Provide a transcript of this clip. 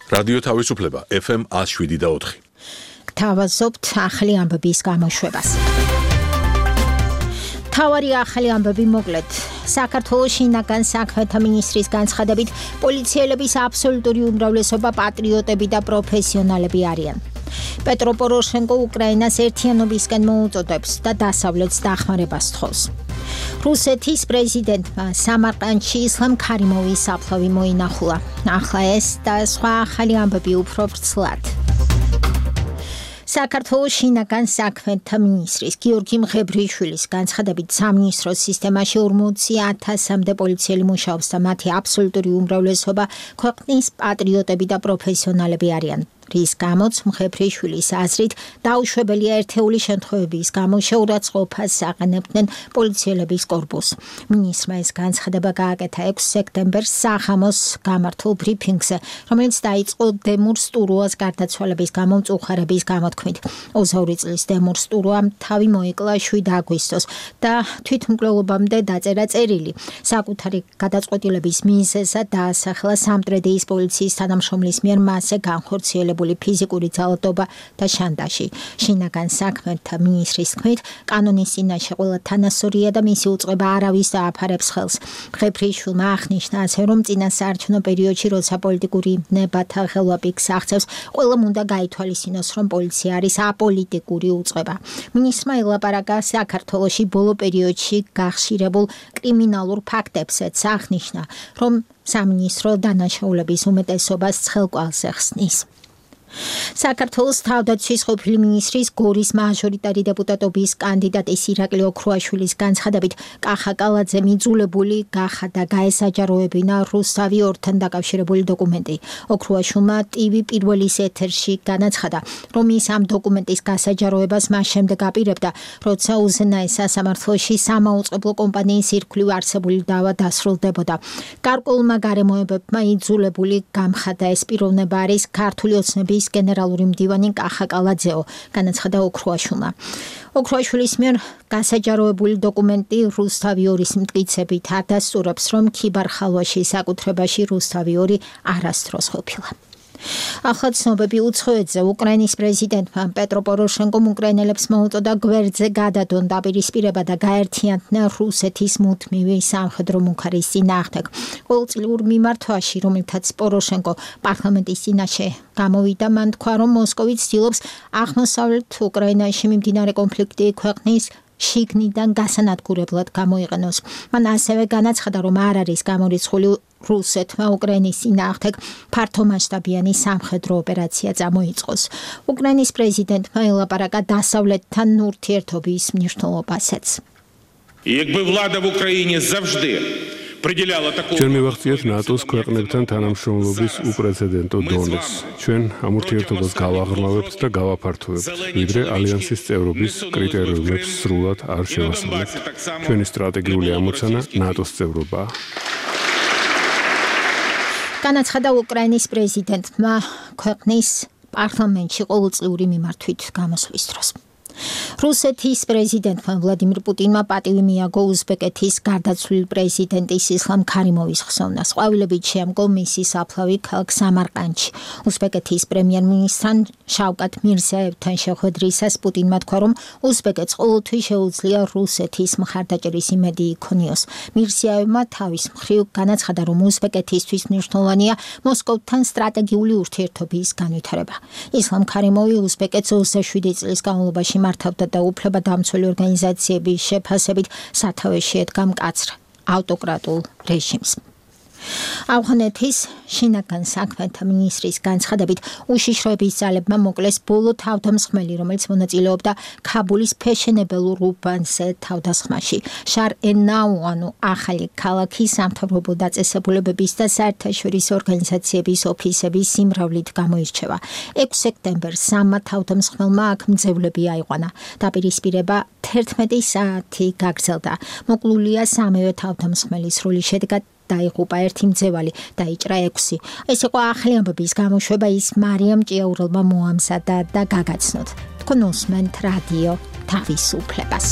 რადიო თავისუფლება FM 107.4. გთავაზობთ ახალი ამბების გამოშვებას. თავარი ახალი ამბები მოკლედ. საქართველოს შინაგან საქმეთა მინისტრის განცხადებით, პოლიციელების აბსოლუტური უმრავლესობა პატრიოტები და პროფესიონალები არიან. პეტრო პოროშენკო უკრაინას ერთიანობისკენ მოუწოდებს და დასავლეთს დახმარებას თხოვს. რუსეთის პრეზიდენტმა სამარყანდში ისლამ ქარიმოვის საფლავი მოინახულა. ახლა ეს და სხვა ახალი ამბები უფრო ვრცლად. საქართველოს შინაგან საქმეთა მინისტრის გიორგი მღებრიშვილის განცხადებით, სამინისტროს სისტემაში 40,000-მდე პოლიციელი მუშაობს და მათი აბსოლუტური უმრავლესობა ქვეყნის პატრიოტები და პროფესიონალები არიან. რის გამოც მღებრიშვილის აზრით დაუშვებელია ერთეული შემთხვევების გამო შეურაცხყოფას აყენებდნენ პოლიციელების კორპუსს. მინისტრმა ეს განცხადება გააკეთა 6 სექტემბერს სახამოს გამართულ ბრიფინგზე, რომელიც დაიწყო დემურ სტურუას გარდაცვალების გამო მწუხარების გამოთქმით. 22 წლის დემურ სტურუამ თავი მოიკლა 7 აგვისტოს და თვითმკვლელობამდე დაწერა წერილი. საკუთარი გადაწყვეტილების მიზეზად დაასახელა სამტრედიის პოლიციის თანამშრომლის მიერ მასზე განხორციელებული ფიზიკური ძალადობა და შანტაჟი. შინაგან საქმეთა მინისტრის თქმით, კანონის წინაშე ყველა თანასწორია და მისი უწყება არავის დააფარებს ხელს. მღებრიშვილმა აღნიშნა ასე, რომ წინასაარჩევნო პერიოდში, როცა პოლიტიკური ნებათა ხელვაპიკს აღწევს, ყველამ უნდა გაითვალისწინოს, რომ პოლიცია არის აპოლიტიკური უწყება. მინისტრმა ელაპარაკა საქართველოში ბოლო პერიოდში გახშირებულ კრიმინალურ ფაქტებზეც, აღნიშნა, რომ სამინისტრო დანაშაულების უმეტესობას ცხელკვალზე ხსნის. საქართველოს თავდაცვის ყოფილი მინისტრის გორის მაჟორიტარი დეპუტატობის კანდიდატის ირაკლი ოქრუაშვილის განცხადებით, კახა კალაძე მიძულებული გახადა გაესაჯაროებინა რუსთავი ორთან დაკავშირებული დოკუმენტი. ოქრუაშვილმა ტივი პირველის ეთერში განაცხადა, რომ ის ამ დოკუმენტის გასაჯაროებას მას შემდეგ აპირებდა, როცა უზენაეს სასამართლოში სამაუწყებლო კომპანიის ირგვლივ არსებული დავა დასრულდებოდა. გარკვეულმა გარემოებებმა იძულებული გამხადა ეს პიროვნება არის ქართული ოცნების გენერალური მდივანი კახა კალაძეო, განაცხადა ოქრუაშვილმა. ოქრუაშვილის მიერ გასაჯაროებული დოკუმენტი რუსთავი ორის მტკიცებით ადასტურებს, რომ ქიბარ-ხალვაში საკუთრებაში რუსთავი ორი არასდროს ყოფილა. ახლა ცნობები უცხოეთზე. უკრაინის პრეზიდენტმა პეტრო პოროშენკომ უკრაინელებს მოუწოდა გვერდზე გადადონ დაპირისპირება და გაერთიანდნენ რუსეთის მუდმივი სამხედრო მუხარის წინააღმდეგ. ყოველწლიურ მიმართვაში, რომელთაც პოროშენკო პარლამენტის წინაშე გამოვიდა, მან თქვა, რომ მოსკოვი ცდილობს აღმოსავლეთ უკრაინაში მიმდინარე კონფლიქტი ქვეყნის შიგნიდან გასანადგურებლად გამოიყენოს. მან ასევე განაცხადა, რომ არ არის გამორიცხული რუსეთმა უკრაინის წინააღმდეგ ფართომასშტაბიანი სამხედრო ოპერაცია წამოიწყოს. უკრაინის პრეზიდენტმა ელაპარაკა დასავლეთთან ურთიერთობის მნიშვნელობასაც. Якби влада в Україні завжди ჩვენ მივახციეთ ნატოს ქვეყნებთან თანამშრომლობის უპრეცედენტო დონეს. ჩვენ ამ ურთიერთობას გავაღრმავებთ და გავაფართოვებთ, ვიდრე ალიანსის წევრობის კრიტერიუმებს სრულად არ შევასრულებთ. ჩვენი სტრატეგიული ამოცანა ნატოს წევრობაა. განაცხადა უკრაინის პრეზიდენტმა ქვეყნის პარლამენტში ყოველწლიური მიმართვით გამოსვლის დროს. რუსეთის პრეზიდენტმა ვლადიმირ პუტინმა პატივი მიაგო უზბეკეთის გარდაცვლილ პრეზიდენტის ისლამ ქარიმოვის ხსოვნას. ყვავილებით შეამგო მისი საფლავი ქალაქ სამარყანდში. უზბეკეთის პრემიერ-მინისტრთან შავკატ მირზიაევთან შეხვედრისას პუტინმა თქვა, რომ უზბეკეთს ყოველთვის შეუძლია რუსეთის მხარდაჭერის იმედი იქონიოს. მირზიაევმა თავის მხრივ განაცხადა, რომ უზბეკეთისთვის მნიშვნელოვანია მოსკოვთან სტრატეგიული ურთიერთობის განვითარება. ისლამ ქარიმოვი უზბეკეთს 27 წლის განმავლობაში მართავდა და უფლებადამცველი ორგანიზაციების შეფასებით სათავეში ედგა მკაცრ ავტოკრატულ რეჟიმს. ავღანეთის შინაგან საქმეთა მინისტრის განცხადებით, უშიშროების ძალებმა მოკლეს ბოლო თავდამსხმელი, რომელიც მონაწილეობდა ქაბულის ფეშენებელურ უბანზე თავდასხმაში. შარ ენაუანუ ახალი ქალაქის სამთავრობო დაწესებულებების და საერთაშორისო ორგანიზაციების ოფისების სიმრავლით გამოირჩევა. 6 სექტემბერს სამმა თავდამსხმელმა აქ მძევლები აიყვანა. დაპირისპირება 11 საათი გაგრძელდა. მოკლულია სამივე თავდამსხმელის სრული შედეგად დაიღუპა ერთი მძევალი, დაიჭრა 6. ეს იყო ახალი ამბების გამოშვება, ის მარიამ ჭიაურელმა მოამზადა და გაგაცნოთ. თქვენ უსმენთ რადიო თავისუფლებას.